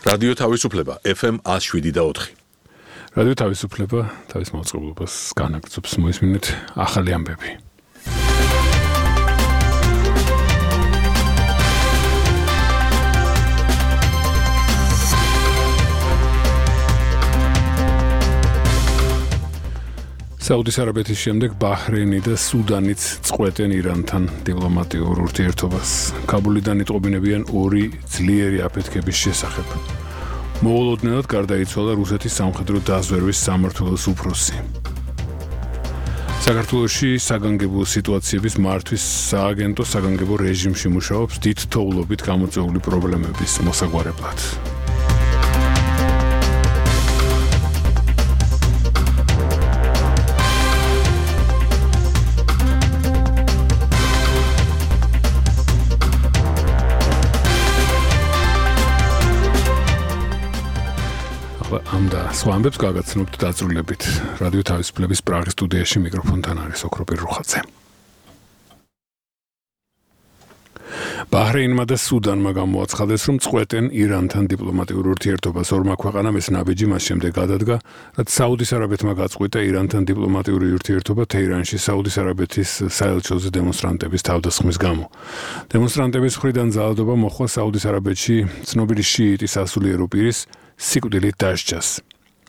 რადიო თავისუფლება FM 107.4. რადიო თავისუფლება თავის მოწყობილობას განაგრძობს მოისმინეთ ახალი ამბები. საუდის არაბეთის შემდეგ ბაჰრეინი და სუდანიც წყვეტენ ირანთან დიპლომატიურ ურთიერთობას. კაბულიდან იტყობინებიან ორი ძლიერი აფეთქების შესახებ. მოულოდნელად გარდაიცვალა რუსეთის სამხედრო დაზვერვის სამმართველოს უფროსი. საქართველოში საგანგებო სიტუაციების მართვის სააგენტო საგანგებო რეჟიმში მუშაობს დიდ თოვლობით გამოწვეული პრობლემების მოსაგვარებლად. ამდა სხვა ამბებს გაგაცნობთ დაწვრილებით. რადიო თავისუფლების პრაღის სტუდიაში მიკროფონთან არის ოქროპირ რუხაძე. ბაჰრეინმა და სუდანმა გამოაცხადეს, რომ წყვეტენ ირანთან დიპლომატიურ ურთიერთობას. ორმა ქვეყანამ ეს ნაბიჯი მას შემდეგ გადადგა, რაც საუდის არაბეთმა გაწყვიტა ირანთან დიპლომატიური ურთიერთობა თეირანში საუდის არაბეთის საელჩოზე დემონსტრანტების თავდასხმის გამო. დემონსტრანტების მხრიდან ძალადობა მოხდა საუდის არაბეთში ცნობილი შიიტის სასულიერო პირის სიკვდილით დასჯას.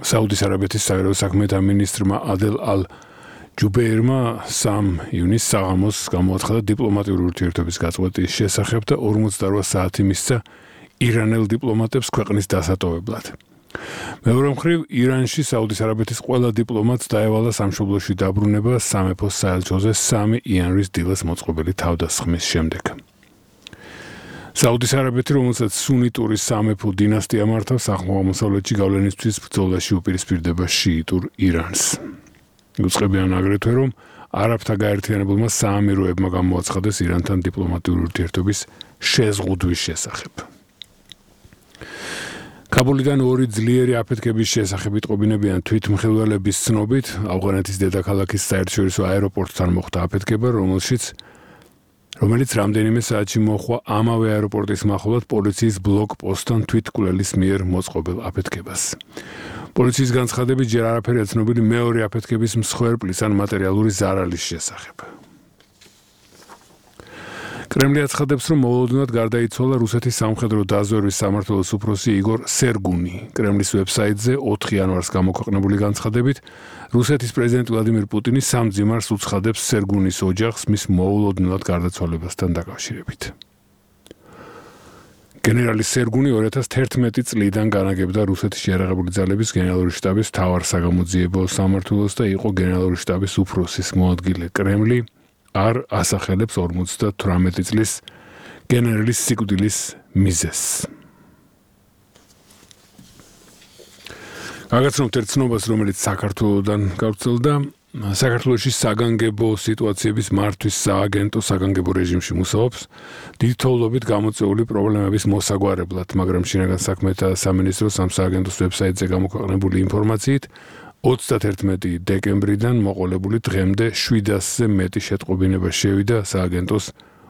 საუდის არაბეთის საგარეო საქმეთა მინისტრმა ადელ ალ-ჯუბეირმა 3 ივნისს საღამოს გამოაცხადა დიპლომატიური ურთიერთობის გაწყვეტის შესახებ და 48 საათი მისცა ირანელ დიპლომატებს ქვეყნის დასატოვებლად. მეორე მხრივ, ირანში საუდის არაბეთის ყველა დიპლომატს დაევალა სამშობლოში დაბრუნება სამეფოს საელჩოზე 3 იანვრის დილას მოწყობილი თავდასხმის შემდეგ. საუდის არაბეთი, რომელსაც სუნიტური სამეფო დინასტია მართავს, აღმოსავლეთში გავლენისთვის ბრძოლაში უპირისპირდება შიიტურ ირანს. უწყებიან აგრეთვე, რომ არაბთა გაერთიანებულმა საამიროებმა გამოაცხადეს ირანთან დიპლომატიური ურთიერთობის შეზღუდვის შესახებ. კაბულიდან ორი ძლიერი აფეთქების შესახებ იტყობინებიან თვითმხილველების ცნობით, ავღანეთის დედაქალაქის საერთაშორისო აეროპორტთან მოხდა აფეთქება, რომელიც რამდენიმე საათში მოხდა ამავე აეროპორტის მახლობლად პოლიციის ბლოკპოსტთან თვითმკვლელის მიერ მოწყობილ აფეთქებას. პოლიციის განცხადებით ჯერ არაფერია ცნობილი მეორე აფეთქების მსხვერპლის ან მატერიალური ზარალის შესახებ. კრემლი აცხადებს, რომ მოულოდნელად გარდაიცვალა რუსეთის სამხედრო დაზვერვის სამმართველოს უფროსი იგორ სერგუნი. კრემლის ვებსაიტზე 4 იანვარს გამოქვეყნებული განცხადებით, რუსეთის პრეზიდენტ ვლადიმირ პუტინი სამძიმარს უცხადებს სერგუნის ოჯახს მის მოულოდნელად გარდაცვალებასთან დაკავშირებით. გენერალი სერგუნი 2011 წლიდან განაგებდა რუსეთის შეიარაღებული ძალების გენერალური შტაბის მთავარ საგამოძიებო სამმართველოს და იყო გენერალური შტაბის უფროსის მოადგილე. კრემლი არ ასახელებს 58 წლის გენერალის სიკვდილის მიზეზს. გაგაცნობთ ერთ ცნობას, რომელიც საქართველოდან გავრცელდა. საქართველოში საგანგებო სიტუაციების მართვის სააგენტო საგანგებო რეჟიმში მუშაობს დიდი თოვლობით გამოწვეული პრობლემების მოსაგვარებლად, მაგრამ შინაგან საქმეთა სამინისტროს ამ სააგენტოს ვებსაიტზე გამოქვეყნებული ინფორმაციით 31 დეკემბრიდან მოყოლებული დღემდე 700-ზე მეტი შეტყობინება შევიდა სააგენტოს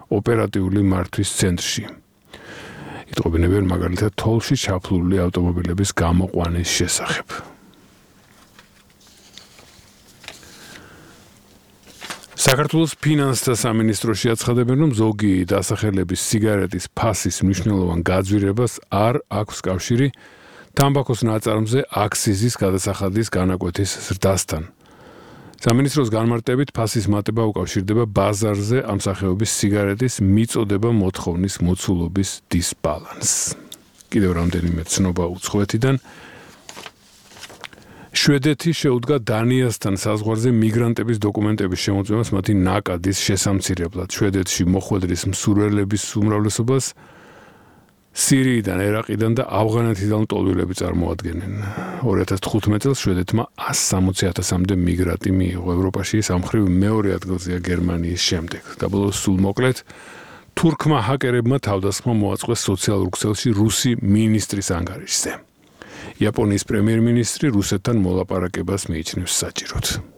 ოპერატიული მართვის ცენტრში. იტყობინებიან მაგალითად თოვლში ჩაფლული ავტომობილების გამოყვანის შესახებ. საქართველოს ფინანსთა სამინისტროში აცხადებენ, რომ ზოგი დასახელების სიგარეტის ფასის მნიშვნელოვან გაძვირებას არ აქვს კავშირი თამბაქოს ნაწარმზე აქსიზის გადასახადის განაკვეთის ზრდასთან. სამინისტროს განმარტებით ფასის მატება უკავშირდება ბაზარზე ამ სახეობის სიგარეტის მიწოდება მოთხოვნის მოცულობის დისბალანსს. კიდევ რამდენიმე ცნობა უცხოეთიდან. შვედეთი შეუდგა დანიასთან საზღვარზე მიგრანტების დოკუმენტების შემოწმებას მათი ნაკადის შესამცირებლად. შვედეთში მოხვედრის მსურველების უმრავლესობას სირიიდან, ერაყიდან და ავღანეთიდან ტოლვილები წარმოადგენენ. 2015 წელს შვედეთმა 160,000-მდე მიგრანტი მიიღო ევროპაში, ამ მხრივ მეორე ადგილზეა გერმანიის შემდეგ. და ბოლოს სულ მოკლედ თურქმა ჰაკერებმა თავდასხმა მოაწყვეს სოციალურ ქსელში რუსი მინისტრის ანგარიშზე. იაპონიის პრემიერ-მინისტრი რუსეთთან მოლაპარაკებას მიიჩნევს საჭიროდ.